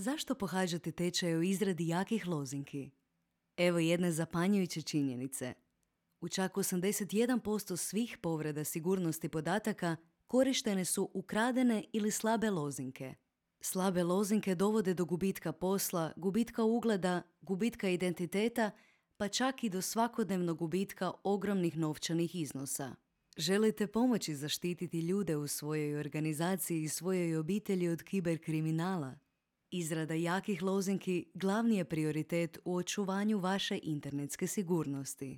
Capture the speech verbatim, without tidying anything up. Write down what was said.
Zašto pohađati tečaj o izradi jakih lozinki? Evo jedne zapanjujuće činjenice. U čak osamdeset jedan posto svih povreda sigurnosti podataka korištene su ukradene ili slabe lozinke. Slabe lozinke dovode do gubitka posla, gubitka ugleda, gubitka identiteta, pa čak i do svakodnevnog gubitka ogromnih novčanih iznosa. Želite pomoći zaštititi ljude u svojoj organizaciji i svojoj obitelji od kiberkriminala? Izrada jakih lozinki glavni je prioritet u očuvanju vaše internetske sigurnosti.